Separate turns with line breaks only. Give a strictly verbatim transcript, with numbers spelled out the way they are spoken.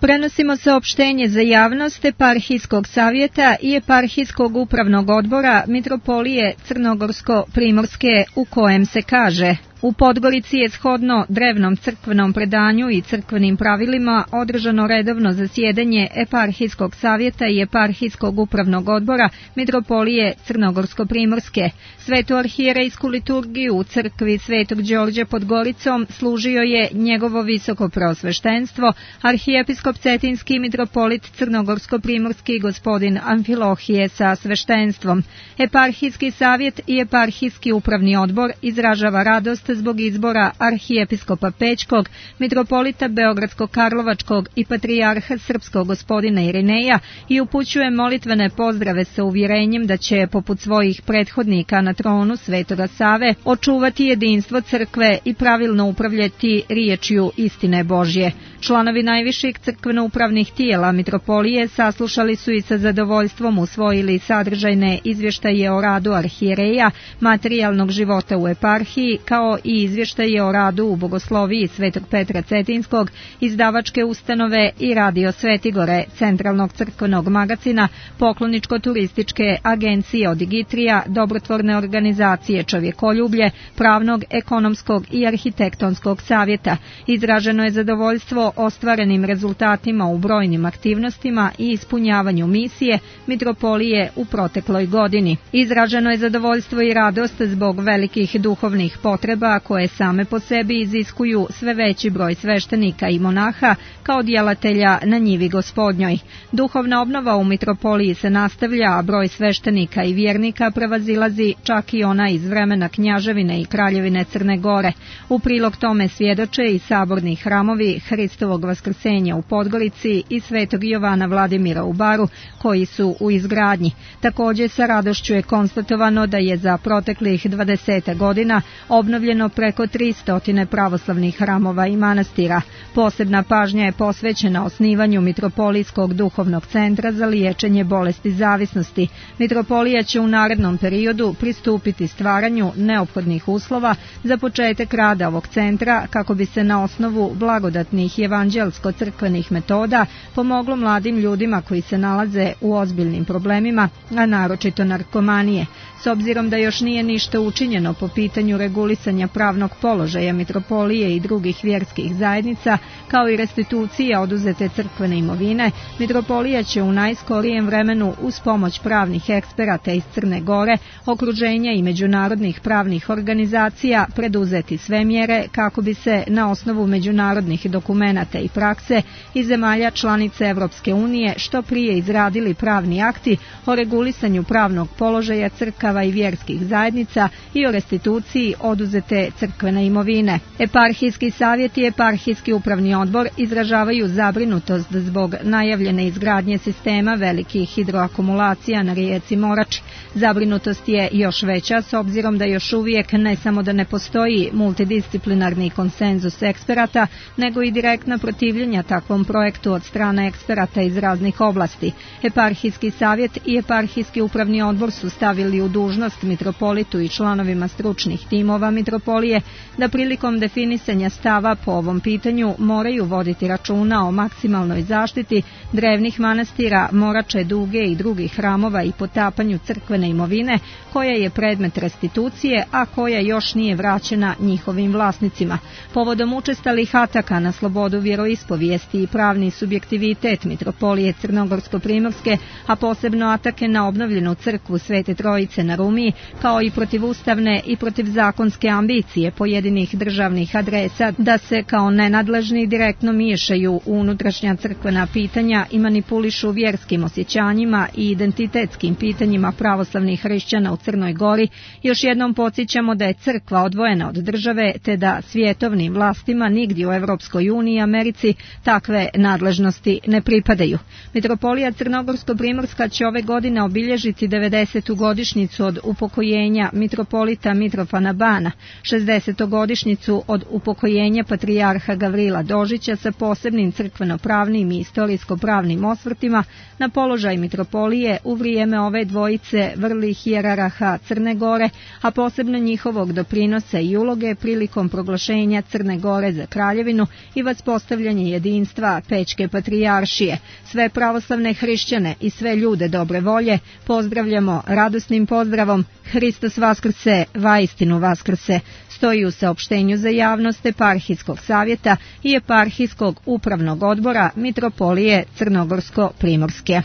Prenosimo saopštenje za javnost Eparhijskog savjeta i Eparhijskog upravnog odbora Mitropolije Crnogorsko-Primorske, u kojem se kaže: u Podgorici je shodno drevnom crkvenom predanju i crkvenim pravilima održano redovno zasjedanje Eparhijskog savjeta i Eparhijskog upravnog odbora Mitropolije Crnogorsko-Primorske. Svetu arhijerejsku liturgiju u crkvi Svetog Đorđa pod Goricom služio je njegovo visoko preosveštenstvo, arhijepiskop Cetinski mitropolit Crnogorsko-Primorski gospodin Amfilohije sa sveštenstvom. Eparhijski savjet i Eparhijski upravni odbor izražava radost zbog izbora arhijepiskopa Pećkog, mitropolita Beogradsko-Karlovačkog i patrijarha srpskog gospodina Irineja i upućuje molitvene pozdrave sa uvjerenjem da će, poput svojih prethodnika na tronu Svetoga Save, očuvati jedinstvo crkve i pravilno upravljati riječju istine Božje. Članovi najviših crkveno-upravnih tijela mitropolije saslušali su i sa zadovoljstvom usvojili sadržajne izvještaje o radu arhijereja, materijalnog života u eparhiji, kao i izvještaje o radu u Bogosloviji Svetog Petra Cetinskog, izdavačke ustanove i Radio Svetigore, centralnog crkvenog magacina, pokloničko-turističke agencije Odigitrija, dobrotvorne organizacije Čovjekoljublje, pravnog, ekonomskog i arhitektonskog savjeta. Izraženo je zadovoljstvo ostvarenim rezultatima u brojnim aktivnostima i ispunjavanju misije mitropolije u protekloj godini. Izraženo je zadovoljstvo i radost zbog velikih duhovnih potreba koje same po sebi iziskuju sve veći broj sveštenika i monaha kao djelatelja na njivi Gospodnjoj. Duhovna obnova u mitropoliji se nastavlja, a broj sveštenika i vjernika prevazilazi čak i ona iz vremena Knjaževine i Kraljevine Crne Gore. U prilog tome svjedoče i saborni hramovi Hristovog vaskrsenja u Podgorici i Svetog Jovana Vladimira u Baru, koji su u izgradnji. Također sa radošću je konstatovano da je za proteklih dvadeset godina obnovljeno preko tristo pravoslavnih hramova i manastira. Posebna pažnja je posvećena osnivanju Mitropolijskog duhovnog centra za liječenje bolesti zavisnosti. Mitropolija će u narednom periodu pristupiti stvaranju neophodnih uslova za početak rada ovog centra kako bi se na osnovu blagodatnih evanđelsko-crkvenih metoda pomoglo mladim ljudima koji se nalaze u ozbiljnim problemima, a naročito narkomanije. S obzirom da još nije ništa učinjeno po pitanju regulisanja pravnog položaja mitropolije i drugih vjerskih zajednica, kao i restitucija oduzete crkvene imovine, mitropolija će u najskorijem vremenu uz pomoć pravnih eksperata iz Crne Gore, okruženja i međunarodnih pravnih organizacija preduzeti sve mjere kako bi se na osnovu međunarodnih dokumenata i prakse iz zemalja članice Evropske unije što prije izradili pravni akti o regulisanju pravnog položaja crkava i vjerskih zajednica i o restituciji oduzete crkvene imovine. Eparhijski savjet i Eparhijski upravni odbor izražavaju zabrinutost zbog najavljene izgradnje sistema velikih hidroakumulacija na rijeci Morači. Zabrinutost je još veća s obzirom da još uvijek ne samo da ne postoji multidisciplinarni konsenzus eksperata, nego i direktna protivljenja takvom projektu od strane eksperata iz raznih oblasti. Eparhijski savjet i Eparhijski upravni odbor su stavili u dužnost mitropolitu i članovima stručnih timova mitropolije da prilikom definisanja stava po ovom pitanju moraju voditi računa o maksimalnoj zaštiti drevnih manastira, Morače, Duge i drugih hramova i potapanju crkvene imovine koja je predmet restitucije, a koja još nije vraćena njihovim vlasnicima. Povodom učestalih ataka na slobodu vjeroispovijesti i pravni subjektivitet mitropolije Crnogorsko-Primorske, a posebno atake na obnovljenu crkvu Svete Trojice na Rumiji, kao i protivustavne i protivzakonske ambicije pojedinih državnih adresa da se kao nenadležni direktno miješaju u unutrašnja crkvena pitanja i manipulišu vjerskim osjećanjima i identitetskim pitanjima pravoslavnih hrišćana u Crnoj Gori, još jednom podsjećamo da je crkva odvojena od države, te da svjetovnim vlastima nigdje u Evropskoj uniji i Americi takve nadležnosti ne pripadaju. Mitropolija Crnogorsko-Primorska će ove godine obilježiti devedesetu godišnjicu od upokojenja mitropolita Mitrofana Bana. šezdesetogodišnjicu od upokojenja patrijarha Gavrila Dožića sa posebnim crkveno-pravnim i istorijsko-pravnim osvrtima na položaj mitropolije u vrijeme ove dvojice vrlih hijerarha Crne Gore, a posebno njihovog doprinosa i uloge prilikom proglašenja Crne Gore za kraljevinu i vaspostavljanje jedinstva Pećke patrijaršije. Sve pravoslavne hrišćane i sve ljude dobre volje pozdravljamo radosnim pozdravom Hristos Vaskrse, vaistinu Vaskrse, stoji u saopštenju za javnost Eparhijskog savjeta i Eparhijskog upravnog odbora Mitropolije Crnogorsko-Primorske.